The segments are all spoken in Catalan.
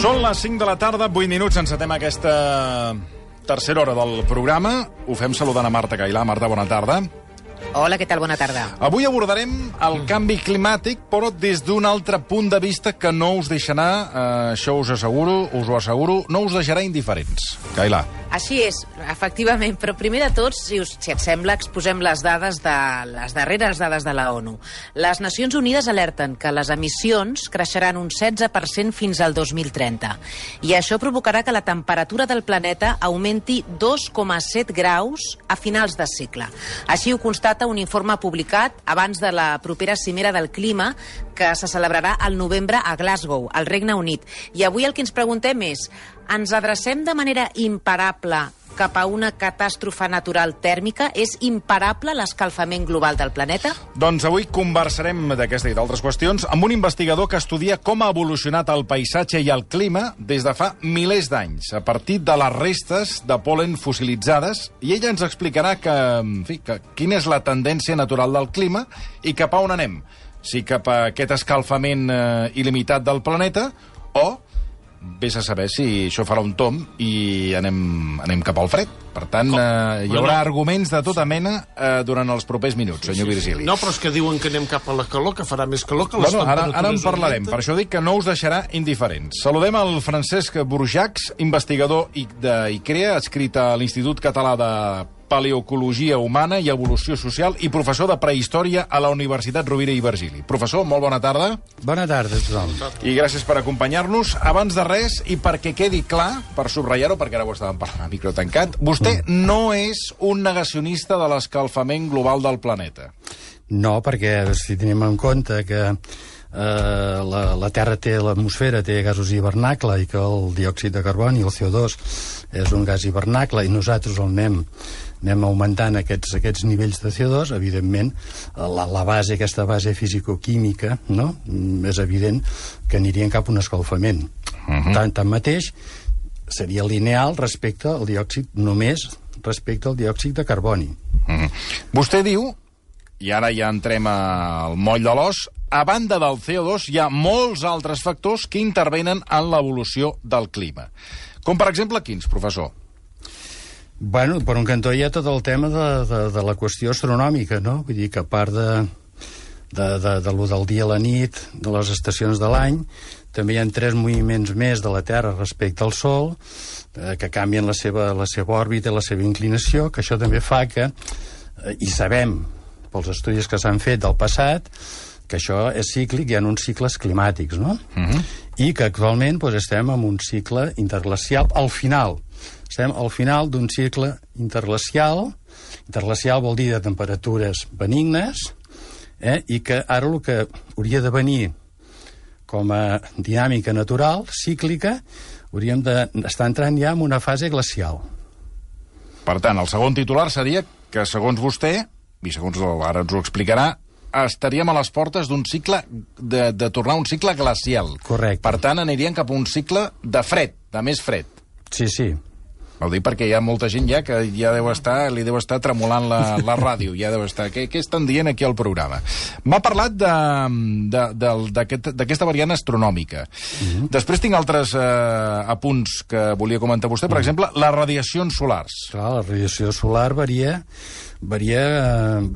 Són les 5 de la tarda, 8 minuts, encetem aquesta tercera hora del programa. Ho fem saludant a Marta Cailà. Marta, bona tarda. Hola, què tal? Bona tarda. Avui abordarem el canvi climàtic, però des d'un altre punt de vista que no us deixarà, això us ho asseguro, no us deixarà indiferents. Cailà. Així és, efectivament, però primer de tot, si et sembla, exposem les darreres dades de la ONU. Les Nacions Unides alerten que les emissions creixeran un 16% fins al 2030, i això provocarà que la temperatura del planeta augmenti 2,7 graus a finals de segle. Així ho constata un informe publicat abans de la propera cimera del clima que se celebrarà al novembre a Glasgow, al Regne Unit. I avui el que ens preguntem és: ens adrecem de manera imparable cap a una catàstrofe natural tèrmica? És imparable l'escalfament global del planeta? Doncs avui conversarem d'aquesta i d'altres qüestions amb un investigador que estudia com ha evolucionat el paisatge i el clima des de fa milers d'anys, a partir de les restes de pol·len fossilitzades, i ella ens explicarà quina és la tendència natural del clima i cap a on anem. Si cap a aquest escalfament il·limitat del planeta o vés a saber si això farà un tomb i anem cap al fred. Per tant, hi haurà arguments de tota mena durant els propers minuts, senyor Virgili. No, però és que diuen que anem cap a la calor, que farà més calor que les temperatures. Ara en parlarem, per això dic que no us deixarà indiferents. Saludem el Francesc Burjacs, investigador d'ICREA, adscrit a l'Institut Català de Paleoecologia Humana i Evolució Social i professor de Prehistòria a la Universitat Rovira i Virgili. Professor, molt bona tarda. Bona tarda, tothom. I gràcies per acompanyar-nos. Abans de res, i perquè quedi clar, per subratllar-ho, perquè ara ho estàvem parlant a micro tancat, vostè no és un negacionista de l'escalfament global del planeta. No, perquè si tenim en compte que la Terra té, l'atmosfera té gasos hivernacle i que el diòxid de carboni, el CO2, és un gas hivernacle i nosaltres el anem augmentant aquests nivells de CO2, evidentment, aquesta base fisicoquímica, no? És evident que anirien cap a un escalfament. Tanmateix, seria lineal respecte al diòxid, només respecte al diòxid de carboni. Vostè diu, i ara ja entrem al moll de l'os, a banda del CO2 hi ha molts altres factors que intervenen en l'evolució del clima. Com, per exemple, quins, professor? Bueno, per un cantó hi ha tot el tema de la qüestió astronòmica, no? Vull dir que a part de lo del dia a la nit, de les estacions de l'any, també hi ha 3 moviments més de la Terra respecte al Sol, que canvien la seva òrbita i la seva inclinació, que això també fa que, i sabem pels estudis que s'han fet del passat, que això és cíclic, hi ha uns cicles climàtics, no? I que actualment estem en un cicle interglacial al final. Estem al final d'un cicle interglacial. Interglacial vol dir de temperatures benignes, i que ara el que hauria de venir com a dinàmica natural, cíclica, hauríem d'estar entrant ja en una fase glacial. Per tant, el segon titular seria que, segons vostè, i segons ara ens ho explicarà, estaríem a les portes d'un cicle, de tornar a un cicle glacial. Correcte. Per tant, anirien cap a un cicle de fred, de més fred. Sí, sí. Ho dic perquè hi ha molta gent ja que ja li deu estar tremolant la ràdio, ja deu estar... Què estan dient aquí al programa? M'ha parlat d'aquesta variant astronòmica. Després tinc altres apunts que volia comentar vostè. Per exemple, les radiacions solars. Clar, la radiació solar varia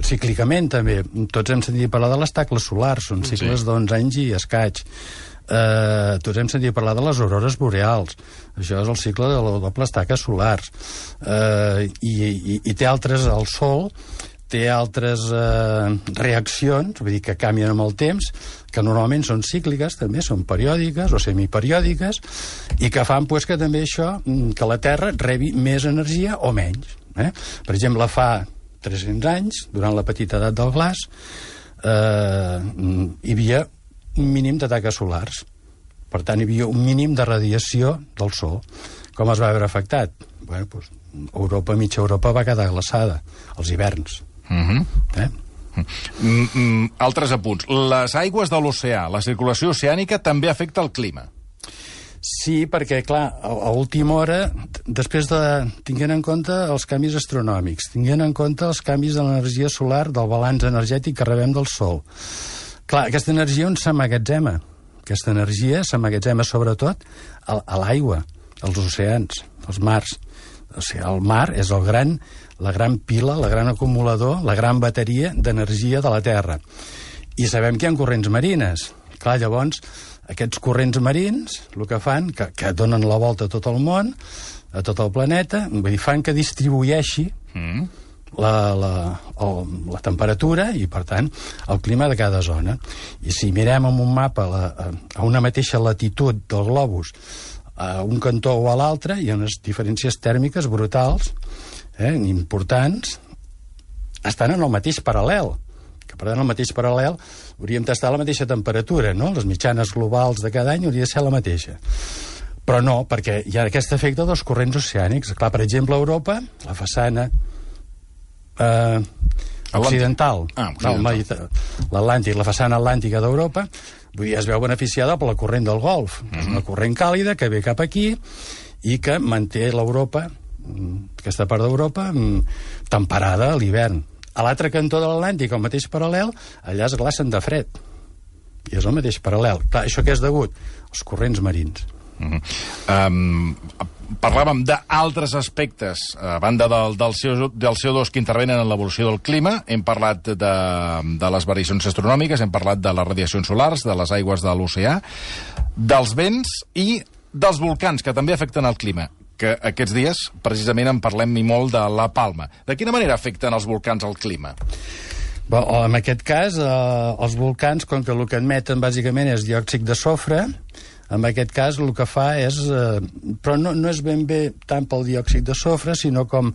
cíclicament, també. Tots hem sentit parlar de les tacles solars, són cicles d'11 anys i escaig. Tots hem sentit parlar de les aurores boreals. Això és el cicle de les dobles taques solars. I té altres, el Sol té altres reaccions, vull dir que canvien amb el temps, que normalment són cícliques, també són periòdiques o semiperiòdiques, i que fan que també això, que la Terra rebi més energia o menys. Per exemple, fa 300 anys, durant la petita edat del glaç, hi havia un mínim de taques solars. Per tant, hi havia un mínim de radiació del Sol. Com es va veure afectat? Europa, mitja Europa, va quedar glaçada, als hiverns. Altres apunts. Les aigües de l'oceà, la circulació oceànica, també afecta el clima. Sí, perquè, clar, a última hora, després tinguent en compte els canvis astronòmics, tinguent en compte els canvis de l'energia solar, del balanç energètic que rebem del Sol. Clar, aquesta energia on s'emmagatzema? Aquesta energia s'emmagatzema sobretot a l'aigua, als oceans, als mars. O sigui, el mar és la gran pila, la gran acumulador, la gran bateria d'energia de la Terra. I sabem que hi ha corrents marines. Clar, llavors, aquests corrents marins, el que fan, que donen la volta a tot el món, a tot el planeta, vull dir, fan que distribueixi la temperatura i, per tant, el clima de cada zona. I si mirem en un mapa a una mateixa latitud del globus, a un cantó o a l'altre, hi ha unes diferències tèrmiques brutals, importants, estan en el mateix paral·lel. Que, per tant, el mateix paral·lel hauríem d'estar a la mateixa temperatura, no? Les mitjanes globals de cada any hauria de ser la mateixa. Però no, perquè hi ha aquest efecte dels corrents oceànics. Clar, per exemple, a Europa, la façana occidental, l'Atlàntic, la façana atlàntica d'Europa, vull dir, es veu beneficiada per la corrent del Golf. És una corrent càlida que ve cap aquí i que manté l'Europa, aquesta part d'Europa, temperada a l'hivern. A l'altre cantó de l'Atlàntic, al mateix paral·lel, allà es glacen de fred. I és el mateix paral·lel. Clar, això què és degut? Els corrents marins. Parlàvem d'altres aspectes a banda del CO2 que intervenen en l'evolució del clima. Hem parlat de les variacions astronòmiques, hem parlat de les radiacions solars, de les aigües de l'oceà, dels vents i dels volcans, que també afecten el clima, que aquests dies precisament en parlem i molt de la Palma. De quina manera afecten els volcans al clima? Bé, en aquest cas, els volcans, com que el que emeten bàsicament és diòxid de sofre, en aquest cas el que fa és... però no és ben bé tant pel diòxid de sofre, sinó com...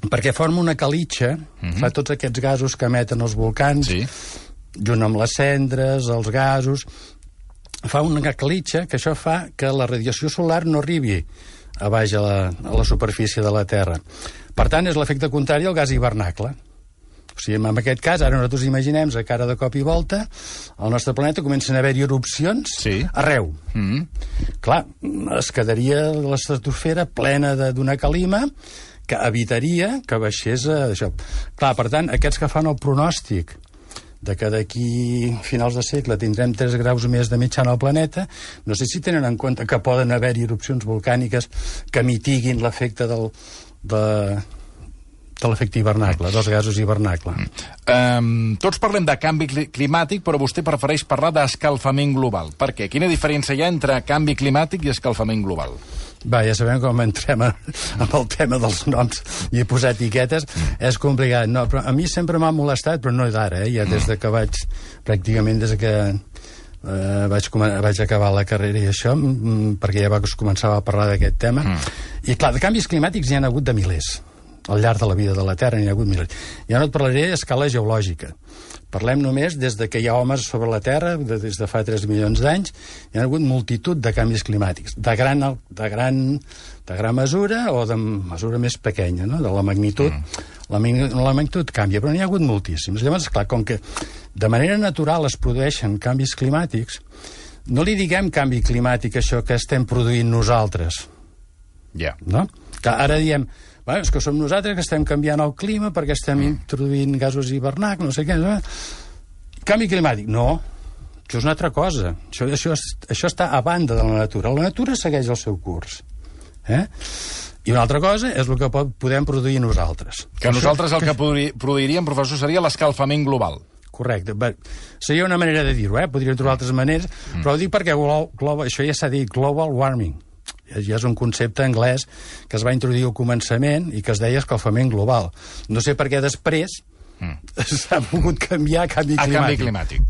perquè forma una calitxa, fa tots aquests gasos que emeten els volcans, junt amb les cendres, els gasos, fa una calitxa que això fa que la radiació solar no arribi a baix a la superfície de la Terra. Per tant, és l'efecte contrari al gas hivernacle. O sigui, en aquest cas, ara nosaltres imaginem que ara de cop i volta al nostre planeta comencen a haver-hi erupcions arreu. Clar, es quedaria l'estratosfera plena d'una calima que evitaria que baixés això. Clar, per tant, aquests que fan el pronòstic de que d'aquí finals de segle tindrem 3 graus més de mitjana al planeta, no sé si tenen en compte que poden haver-hi erupcions volcàniques que mitiguin l'efecte de l'efecte hivernacle, dels gasos hivernacle. Tots parlem de canvi climàtic, però vostè prefereix parlar d'escalfament global. Per què? Quina diferència hi ha entre canvi climàtic i escalfament global? Va, ja sabem com entrem amb el tema dels noms i posar etiquetes. És complicat. No, però a mi sempre m'ha molestat, però no d'ara, ja des de que pràcticament des que vaig acabar la carrera i això, perquè ja començava a parlar d'aquest tema. I clar, de canvis climàtics hi ha hagut de milers. Al llarg de la vida de la Terra n'hi ha hagut milers. Ja no et parlaré a escala geològica. Parlem només des de que hi ha homes sobre la Terra, des de fa 3 milions d'anys, hi ha hagut multitud de canvis climàtics, de gran mesura o de mesura més pequeña, no? De la magnitud. La magnitud canvia, però n'hi ha hagut moltíssims. Llavors, clar, com que de manera natural es produeixen canvis climàtics, no li diguem canvi climàtic això que estem produint nosaltres. No? Que ara diem... és que som nosaltres que estem canviant el clima perquè estem introduint gasos hivernacle, no sé què. Canvi climàtic, no. Això és una altra cosa. Això està a banda de la natura. La natura segueix el seu curs. I una altra cosa és el que podem produir nosaltres. Que nosaltres el que produiríem, professor, seria l'escalfament global. Correcte. Seria una manera de dir-ho, podríem trobar altres maneres, però ho dic perquè això ja s'ha dit, global warming. Ja és un concepte anglès que es va introduir al començament i que es deia escalfament global. No sé per què després s'ha pogut canviar a canvi climàtic.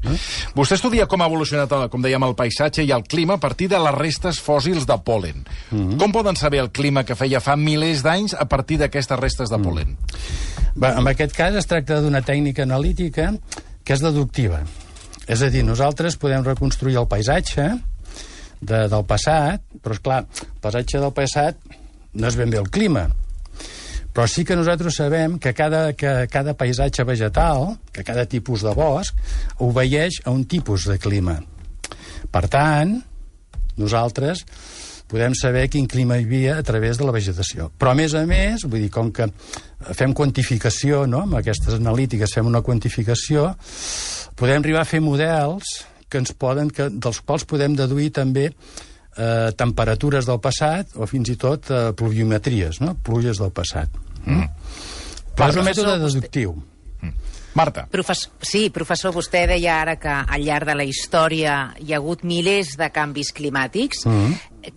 Vostè estudia com ha evolucionat, com dèiem, el paisatge i el clima a partir de les restes fòssils de pol·len. Com poden saber el clima que feia fa milers d'anys a partir d'aquestes restes de pol·len? En aquest cas es tracta d'una tècnica analítica que és deductiva. És a dir, nosaltres podem reconstruir el paisatge del passat, però esclar, el paisatge del passat no és ben bé el clima, però sí que nosaltres sabem que cada paisatge vegetal, que cada tipus de bosc, obeeix a un tipus de clima. Per tant, nosaltres podem saber quin clima hi havia a través de la vegetació. Però, a més, vull dir, com que fem quantificació, no? Amb aquestes analítiques fem una quantificació, podem arribar a fer models dels quals podem deduir també temperatures del passat o fins i tot pluviometries, no? Pluges del passat. Però és un mètode deductiu. Marta. Sí, professor, vostè deia ara que al llarg de la història hi ha hagut milers de canvis climàtics.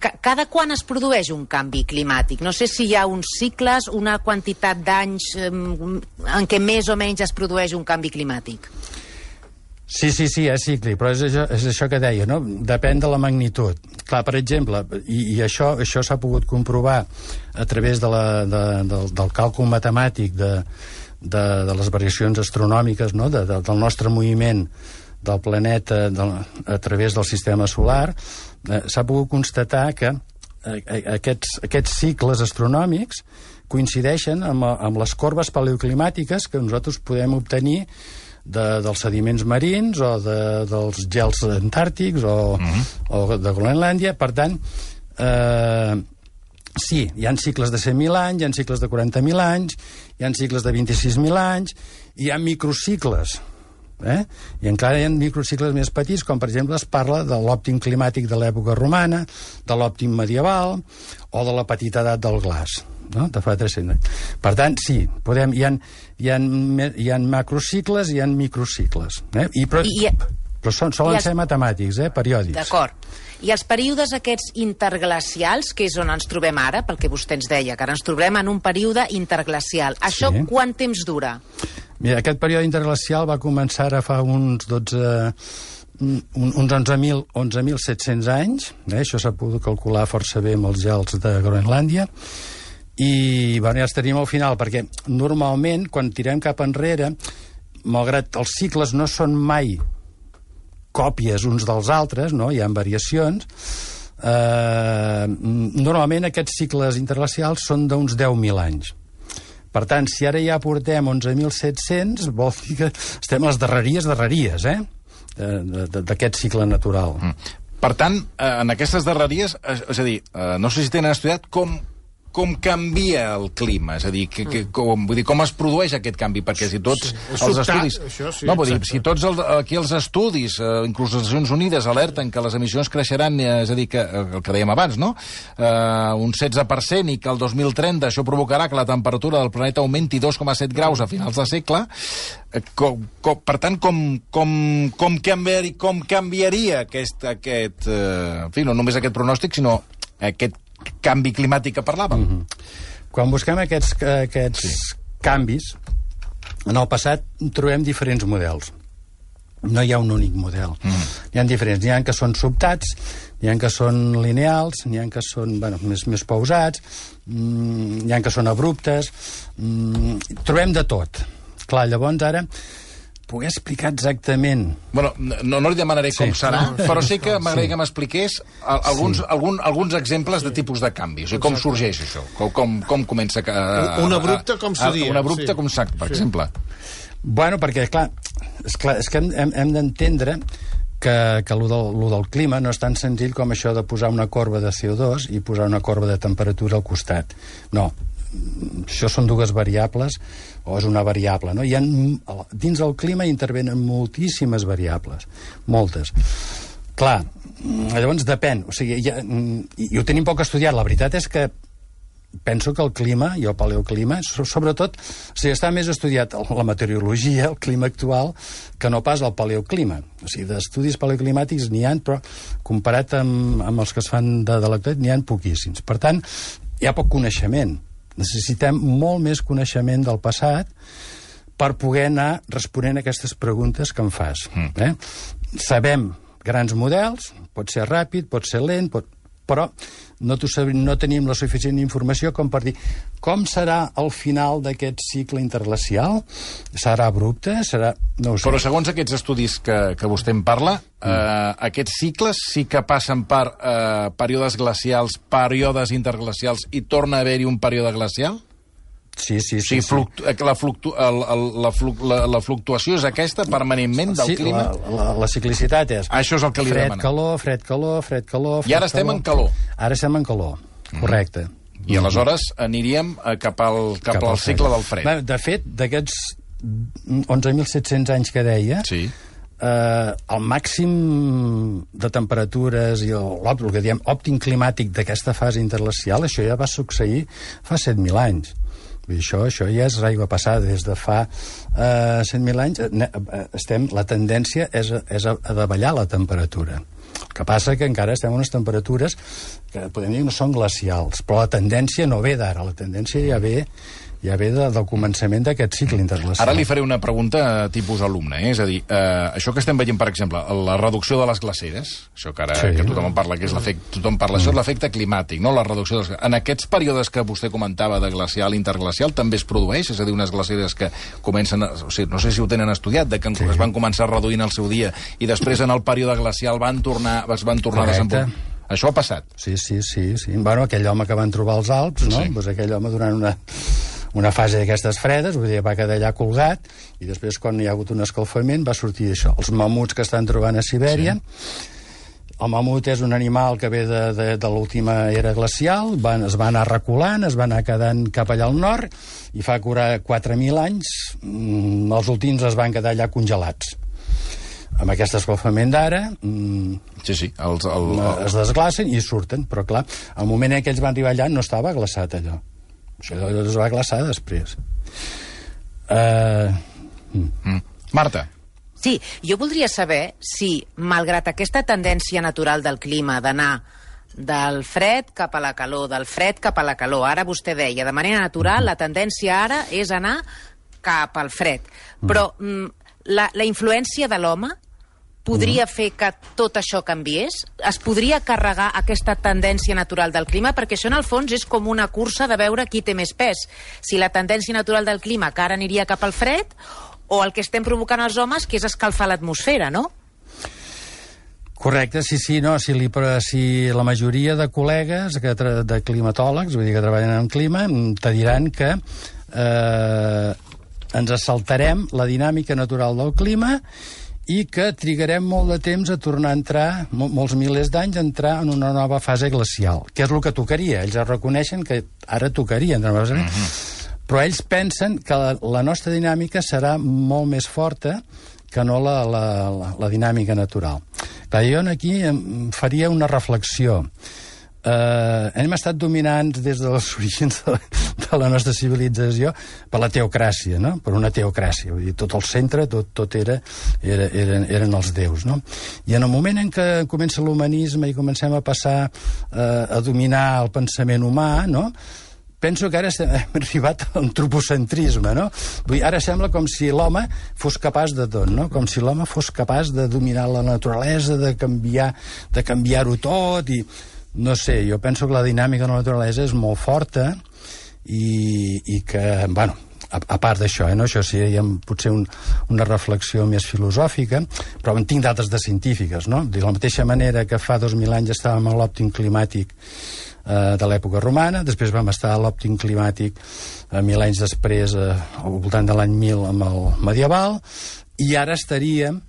Cada quan es produeix un canvi climàtic? No sé si hi ha uns cicles, una quantitat d'anys en què més o menys es produeix un canvi climàtic. Sí, és cíclic, però és això que deia, no? Depèn de la magnitud. Clar, per exemple, i això s'ha pogut comprovar a través del càlcul matemàtic de les variacions astronòmiques, no? Del nostre moviment del planeta a través del sistema solar, s'ha pogut constatar que aquests cicles astronòmics coincideixen amb les corbes paleoclimàtiques que nosaltres podem obtenir dels sediments marins o dels gels antàrtics o de Groenlàndia. Per tant, sí, hi ha cicles de 100.000 anys, hi ha cicles de 40.000 anys, hi ha cicles de 26.000 anys, hi ha microcicles, i encara hi ha microcicles més petits, com per exemple es parla de l'òptim climàtic de l'època romana, de l'òptim medieval o de la petita edat del glaç, no? De fa 300 anys. Per tant, sí, hi ha macrocicles i hi ha microcicles. Però solen ser matemàtics, periòdics. D'acord. I els períodes aquests interglacials, que és on ens trobem ara, pel que vostè ens deia, que ara ens trobem en un període interglacial. Això quant temps dura? Mira, aquest període interglacial va començar ara fa uns 11.700 anys. Això s'ha pogut calcular força bé amb els gels de Groenlàndia. I ja els tenim al final, perquè normalment, quan tirem cap enrere, malgrat els cicles no són mai còpies uns dels altres, no? Hi ha variacions, normalment aquests cicles interglacials són d'uns 10.000 anys. Per tant, si ara ja portem 11.700, vol dir que estem a les darreries, d'aquest cicle natural. Per tant, en aquestes darreries, és a dir, no sé si tenen estudiat com canvia el clima, és a dir, com es produeix aquest canvi, perquè si tots els estudis... No, vull dir, si tots aquí els estudis, inclús les Nacions Unides, alerten que les emissions creixeran, és a dir, que el que dèiem abans, no? Un 16%, i que el 2030 això provocarà que la temperatura del planeta augmenti 2,7 graus a finals de segle, per tant, com canviaria aquest en fi, no només aquest pronòstic, sinó aquest canvi climàtic que parlàvem. Quan busquem aquests canvis, en el passat trobem diferents models. No hi ha un únic model. N'hi ha diferents. N'hi ha que són sobtats, n'hi ha que són lineals, n'hi ha que són més pausats, n'hi ha que són abruptes. Trobem de tot. Clar, llavors ara poder explicar exactament... Bueno, no li demanaré com serà, però sí que m'agradaria que m'expliqués alguns exemples de tipus de canvi. O sigui, com sorgeix això? Com comença... Un abrupte, com seria? Un abrupte, com sac, per exemple. Bueno, perquè, clar, és que hem d'entendre que lo del clima no és tan senzill com això de posar una corba de CO2 i posar una corba de temperatura al costat. No, això són dues variables, o és una variable, no? Dins del clima intervenen moltíssimes variables, moltes. Clar, llavors depèn, o sigui, i ho tenim poc estudiat. La veritat és que penso que el clima i el paleoclima, sobretot, o sigui, està més estudiat la meteorologia, el clima actual, que no pas el paleoclima. O sigui, d'estudis paleoclimàtics n'hi ha, però comparat amb els que es fan de l'actualitat n'hi ha poquíssims. Per tant, hi ha poc coneixement. Necessitem molt més coneixement del passat per poder anar responent a aquestes preguntes que em fas. Sabem grans models, pot ser ràpid, pot ser lent, però no tenim la suficient informació com per dir com serà el final d'aquest cicle interglacial. Serà abrupte? No ho sé. Però segons aquests estudis que vostè em parla, aquests cicles sí que passen per períodes glacials, períodes interglacials, i torna a haver-hi un període glacial? Sí. La fluctuació és aquesta permanentment del clima? La ciclicitat és... Això és el que li demano. Fred, calor... I ara estem en calor. Ara estem en calor, correcte. I aleshores aniríem cap al cicle del fred. De fet, d'aquests 11.700 anys que deia, el màxim de temperatures i el que diem òptim climàtic d'aquesta fase interglacial, això ja va succeir fa 7.000 anys. Vull dir, això ja és aigua passada. Des de fa 100.000 anys la tendència és a davallar la temperatura. El que passa que encara estem en unes temperatures que podem dir que no són glacials, però la tendència no ve d'ara, la tendència ja ve del començament d'aquest cicle interglacial. Ara li faré una pregunta tipus alumne, és a dir, això que estem veient, per exemple, la reducció de les glaceres, això que ara que tothom en parla, que és això és l'efecte climàtic, no? La reducció de les... En aquests períodes que vostè comentava de glacial, interglacial, també es produeix? És a dir, unes glaceres que comencen... O sigui, no sé si ho tenen estudiat, que es van començar reduint el seu dia i després en el període glacial es van tornar a desenvolupar. Això ha passat? Sí. Bueno, aquell home que van trobar als Alps, no? Pues aquell home durant una fase d'aquestes fredes, vull dir, va quedar allà colgat, i després, quan hi ha hagut un escalfament, va sortir això. Els mamuts que estan trobant a Sibèria, el mamut és un animal que ve de l'última era glacial, es va anar reculant, es va anar quedant cap allà al nord, i fa 4.000 anys els últims es van quedar allà congelats. Amb aquest escalfament d'ara es desglacen i surten, però clar, al moment en què ells van arribar allà no estava glaçat allò. Això es va glaçar després. Marta. Sí, jo voldria saber si, malgrat aquesta tendència natural del clima d'anar del fred cap a la calor, del fred cap a la calor, ara vostè deia, de manera natural, la tendència ara és anar cap al fred. Però la influència de l'home podria fer que tot això canviés? Es podria carregar aquesta tendència natural del clima? Perquè això, en el fons, és com una cursa de veure qui té més pes. Si la tendència natural del clima que ara aniria cap al fred, o el que estem provocant els homes, que és escalfar l'atmosfera, no? Correcte, sí, no, si la majoria de col·legues, de climatòlegs, vull dir que treballen en clima, te diran que ens saltarem la dinàmica natural del clima i que trigarem molt de temps a tornar a entrar, molts milers d'anys, a entrar en una nova fase glacial, que és el que tocaria. Ells reconeixen que ara tocaria entrar en una fase, però ells pensen que la nostra dinàmica serà molt més forta que no la dinàmica natural. Clar, jo aquí faria una reflexió. Hem estat dominants des dels orígens de la nostra civilització per la teocràcia, no? Per una teocràcia, vull dir, tot el centre, tot eren els déus, no? I en el moment en què comença l'humanisme i comencem a passar a dominar el pensament humà, no? Penso que ara hem arribat a l'antropocentrisme, no? Vull dir, ara sembla com si l'home fos capaç de tot, no? Com si l'home fos capaç de dominar la naturalesa, de canviar-ho tot, i no sé, jo penso que la dinàmica de la naturalesa és molt forta i que, bueno, a part d'això, no? Això seria potser una reflexió més filosòfica, però en tinc d'altres de científiques, no? De la mateixa manera que fa 2.000 anys estàvem a l'òptim climàtic de l'època romana, després vam estar a l'òptim climàtic 1.000 anys després, al voltant de l'any 1000 amb el medieval, i ara estaríem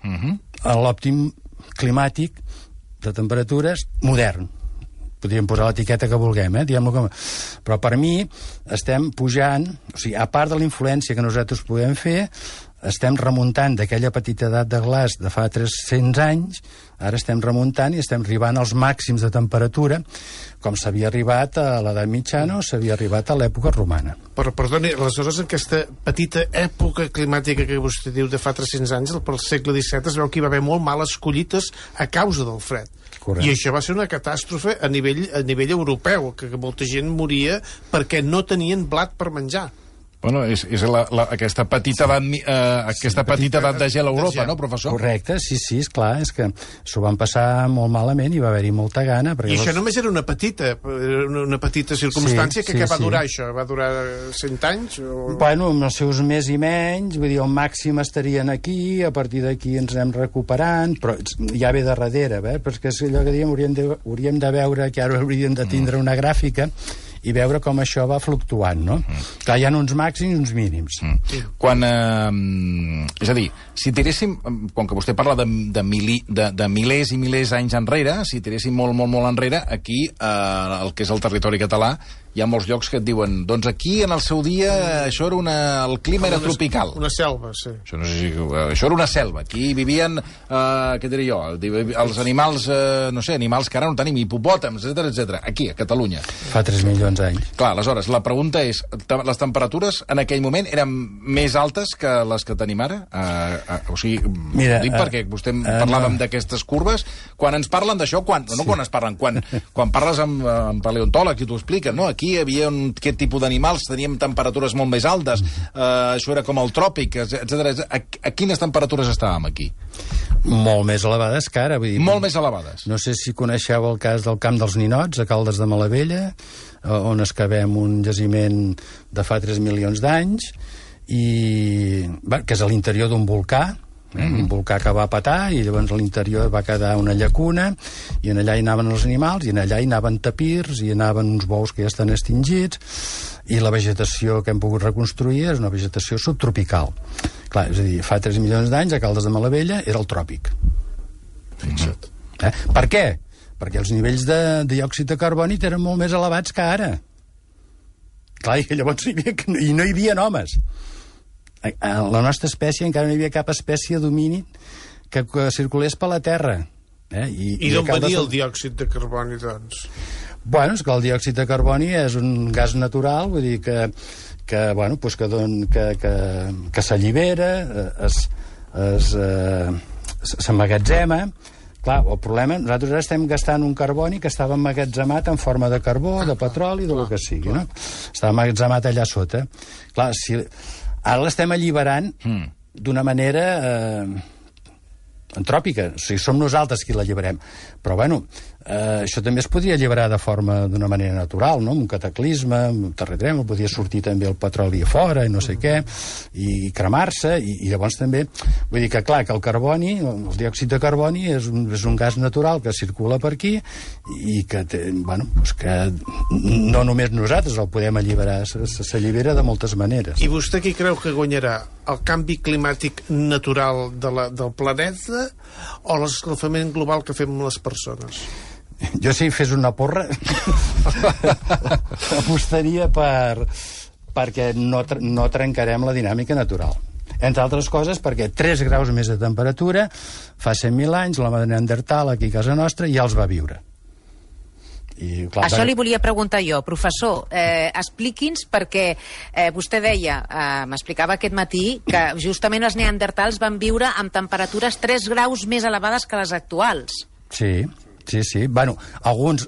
a l'òptim climàtic de temperatures modern. Podríem posar l'etiqueta que vulguem, diguem-lo com... Però per mi estem pujant, o sigui, a part de la influència que nosaltres podem fer, estem remuntant d'aquella petita edat de glaç de fa 300 anys, ara estem remuntant i estem arribant als màxims de temperatura, com s'havia arribat a l'edat mitjana o s'havia arribat a l'època romana. Però, perdoni, aleshores, aquesta petita època climàtica que vostè diu de fa 300 anys, pel segle XVII, es veu que hi va haver molt males collites a causa del fred. Correcte. I això va ser una catàstrofe a nivell europeu, que molta gent moria perquè no tenien blat per menjar. Bueno, és aquesta petita edat de gel a Europa, no, professor? Correcte, sí, esclar, és que s'ho van passar molt malament i va haver-hi molta gana. I això només era una petita circumstància que va durar això? Va durar 100 anys? O... Bueno, amb els seus més i menys, vull dir, al màxim estarien aquí, a partir d'aquí ens anem recuperant, però ja ve de darrere, perquè és allò que diem, hauríem de veure, que ara hauríem de tindre una gràfica, i veure com això va fluctuant, no? Clar, hi ha uns màxims i uns mínims. Quan, és a dir, si tiréssim, com que vostè parla de milers i milers d'anys enrere, si tiréssim molt enrere, aquí, el que és el territori català, hi ha molts llocs que et diuen doncs aquí, en el seu dia, això era el clima era tropical. Una selva, sí. Això, no sé si, això era una selva. Aquí vivien, què diré jo, els animals, no sé, animals que ara no tenim, hipopòtams, etc. Aquí, a Catalunya. Fa 3 milions d'anys. Clar, aleshores, la pregunta és, les temperatures en aquell moment eren més altes que les que tenim ara? O sigui, mira, dic perquè vostè parlàvem d'aquestes curves, quan ens parlen d'això, quan ens parlen, quan parles amb paleontòlegs i t'ho expliquen, no? Aquí hi havia aquest tipus d'animals, teníem temperatures molt més altes, això era com el tròpic, etc. A quines temperatures estàvem aquí? Molt més elevades que ara. Vull dir, molt més elevades. No sé si coneixeu el cas del Camp dels Ninots, a Caldes de Malavella, on excavem un jaciment de fa 3 milions d'anys, que és a l'interior d'un volcà, un volcà que va petar, i llavors a l'interior va quedar una llacuna, i en allà hi anaven els animals, i en allà hi anaven tapirs, i hi anaven uns bous que ja estan extingits, i la vegetació que hem pogut reconstruir és una vegetació subtropical. Clar, és a dir, fa 3 milions d'anys a Caldes de Malavella era el tròpic. Fixa't. Per què? Perquè els nivells de diòxid de carboni eren molt més elevats que ara. Clar, i llavors no hi havia homes. A la nostra espècie encara no hi havia cap espècie d'homínid que circulés per la Terra. I d'on venia el diòxid de carboni, doncs? Bueno, és que el diòxid de carboni és un gas natural, vull dir que s'allibera, s'emmagatzema. Clar, el problema, nosaltres ara estem gastant un carboni que estava emmagatzemat en forma de carbó, de petroli, del que sigui, no? Estava emmagatzemat allà sota. Clar, ara l'estem alliberant d'una manera antròpica, o sigui, som nosaltres qui l'alliberem. Però, bueno, això també es podria alliberar d'una manera natural, no? Amb un cataclisme, amb un terratrèmol, podria sortir també el petroli a fora, i no sé què, i cremar-se, i llavors també, vull dir que, clar, que el carboni, el diòxid de carboni és un gas natural que circula per aquí, i que, que no només nosaltres el podem alliberar, s'allibera de moltes maneres. I vostè qui creu que guanyarà? El canvi climàtic natural del planeta o l'escalfament global que fem les persones? Jo, si fes una porra, apostaria perquè no trencarem la dinàmica natural. Entre altres coses, perquè 3 graus més de temperatura, fa 100.000 anys, l'home de Neandertal, aquí a casa nostra, ja els va viure. I, clar, això li volia preguntar jo, professor. Expliqui'ns, perquè vostè deia, m'explicava aquest matí, que justament els neandertals van viure amb temperatures 3 graus més elevades que les actuals. Sí. Bueno, alguns,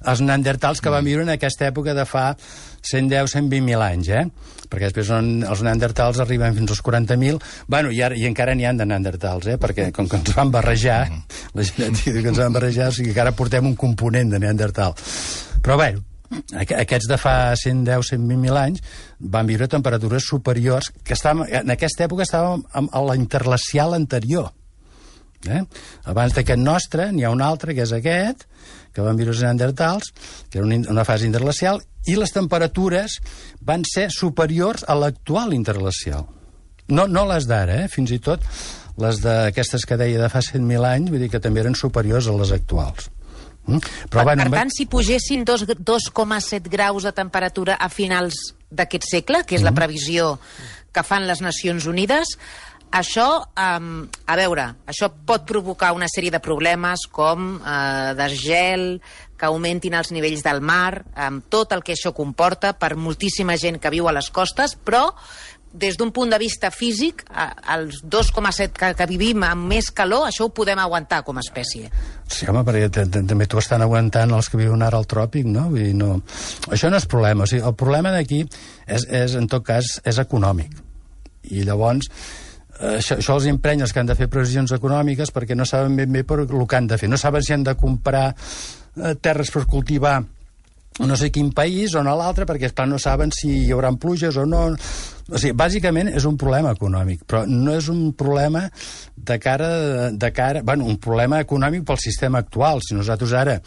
els neandertals que van viure en aquesta època de fa 110-120.000 anys, perquè després els neandertals arriben fins als 40.000, bueno, i encara n'hi ha de neandertals, perquè com que ens van barrejar, la genètica que ens van barrejar, o sigui que ara portem un component de neandertal. Però bé, aquests de fa 110-120.000 anys van viure a temperatures superiors, que en aquesta època estàvem a la interglacial anterior. Abans d'aquest nostre n'hi ha un altre, que és aquest, que van viure els neandertals, que era una fase interglacial, i les temperatures van ser superiors a l'actual interglacial. No les d'ara, fins i tot les d'aquestes que deia de fa 100.000 anys, vull dir que també eren superiors a les actuals. Però, per tant, si pugessin 2,7 graus de temperatura a finals d'aquest segle, que és la previsió que fan les Nacions Unides, això, a veure, això pot provocar una sèrie de problemes com desgel, que augmentin els nivells del mar, amb tot el que això comporta per moltíssima gent que viu a les costes, però des d'un punt de vista físic, els 2,7 que vivim amb més calor, això ho podem aguantar com a espècie. Sí, home, perquè també t'ho estan aguantant els que viuen ara al tròpic, no? Vull dir, no. Això no és problema. O sigui, el problema d'aquí és, en tot cas, és econòmic. I llavors això els emprenya els que han de fer previsions econòmiques perquè no saben ben bé el que han de fer. No saben si han de comprar terres per cultivar no sé quin país o no l'altre, perquè esclar no saben si hi haurà pluges o no. O sigui, bàsicament és un problema econòmic, però no és un problema de cara, bueno, un problema econòmic pel sistema actual. Si nosaltres ara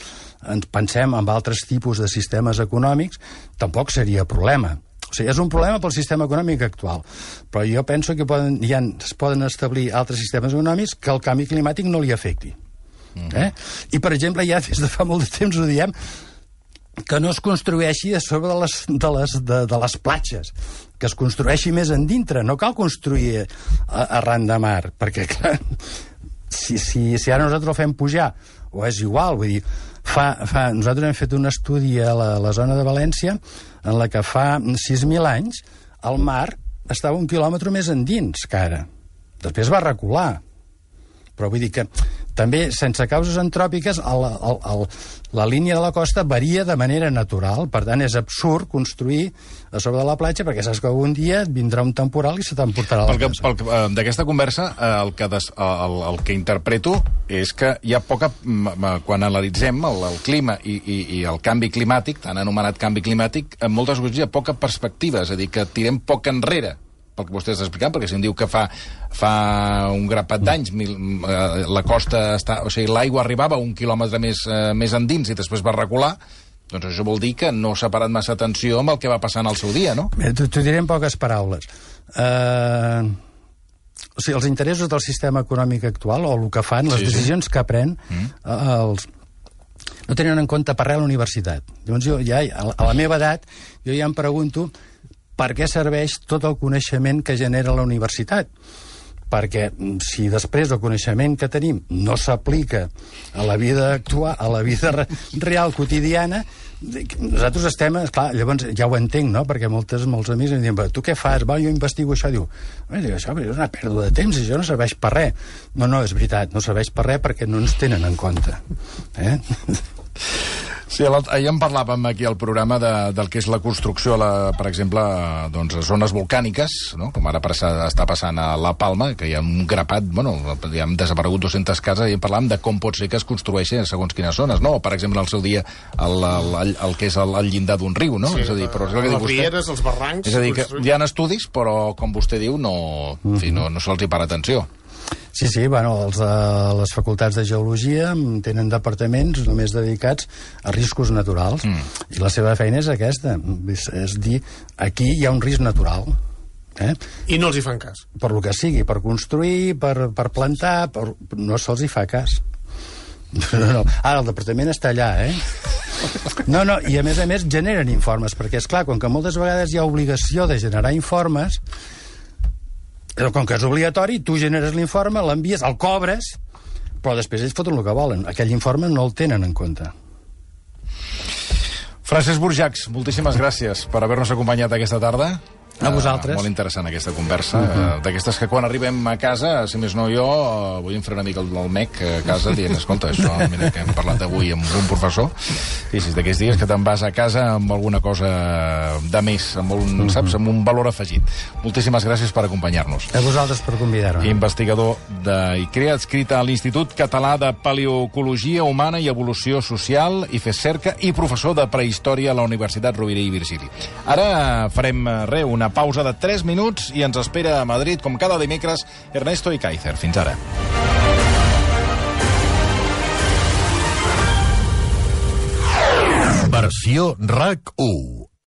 ens pensem en altres tipus de sistemes econòmics, tampoc seria problema. O sigui, és un problema pel sistema econòmic actual, però jo penso que es poden establir altres sistemes econòmics que el canvi climàtic no li afecti. I, per exemple, ja des de fa molt de temps ho diem, que no es construeixi a sobre de les platges, que es construeixi més endintre. No cal construir arran de mar, perquè, clar, si ara nosaltres el fem pujar, o és igual, vull dir, nosaltres hem fet un estudi a la zona de València en la que fa 6.000 anys el mar estava 1 quilòmetre més endins que ara. Després va recular. Però vull dir que també, sense causes antròpiques, la línia de la costa varia de manera natural. Per tant, és absurd construir a sobre de la platja, perquè saps que algun dia et vindrà un temporal i se t'emportarà la casa. D'aquesta conversa, el que interpreto és que hi ha poca... Quan analitzem el clima i el canvi climàtic, tan anomenat canvi climàtic, en moltes ocasions hi ha poca perspectiva, és a dir, que tirem poc enrere, pel que vostè està explicant, perquè si em diu que fa un grapat d'anys la costa o sigui, l'aigua arribava 1 quilòmetre més endins i després va recular, doncs això vol dir que no s'ha parat massa atenció amb el que va passar en el seu dia, no? T'ho diré en poques paraules. O sigui, els interessos del sistema econòmic actual, o el que fan, les decisions que pren, no tenen en compte per res la universitat. Llavors jo ja, a la meva edat, jo ja em pregunto per què serveix tot el coneixement que genera la universitat. Perquè si després el coneixement que tenim no s'aplica a la vida actual, a la vida real quotidiana, nosaltres estem... Clar, llavors ja ho entenc, no?, perquè molts amics em diuen, tu què fas? Va, jo investigo això. Diu, això és una pèrdua de temps i això no serveix per res. No, és veritat, no serveix per res perquè no ens tenen en compte. Sí, ahir en parlàvem aquí al programa del que és la construcció, per exemple, doncs, a zones volcàniques, no? Com ara està passant a La Palma, que hi ha un grapat, hi han desaparegut 200 cases, i en parlàvem de com pot ser que es construeixin segons quines zones, no? Per exemple, al seu dia, el que és el llindar d'un riu, no? Sí, és a dir, però és el que diu vostè, les rieres, els barrancs... És a dir, que hi ha estudis, però, com vostè diu, no se'ls hi para atenció. Sí, les facultats de geologia tenen departaments només dedicats a riscos naturals, i la seva feina és aquesta, és dir, aquí hi ha un risc natural. I no els hi fan cas. Per lo que sigui, per construir, per plantar, no se'ls hi fa cas. No. Ara, el departament està allà, No, i a més generen informes, perquè, esclar, com que moltes vegades hi ha obligació de generar informes, com que és obligatori, tu generes l'informe, l'envies, el cobres, però després ells foten el que volen. Aquell informe no el tenen en compte. Francesc Burjacs, moltíssimes gràcies per haver-nos acompanyat aquesta tarda. A vosaltres. Molt interessant aquesta conversa, d'aquestes que quan arribem a casa, si més no jo, vull fer una mica el mec a casa dient, escolta, això, mira, que hem parlat avui amb un professor, i si d'aquests dies que te'n vas a casa amb alguna cosa de més, saps, amb un valor afegit. Moltíssimes gràcies per acompanyar-nos. A vosaltres per convidar-me. Investigador d'ICREA, adscrit a l'Institut Català de Paleoecologia Humana i Evolució Social, i FESCERCA, i professor de prehistòria a la Universitat Rovira i Virgili. Ara farem una pausa de 3 minuts i ens espera a Madrid, com cada dimecres, Ernesto Ikaizer. Fins ara. Versió RAC 1.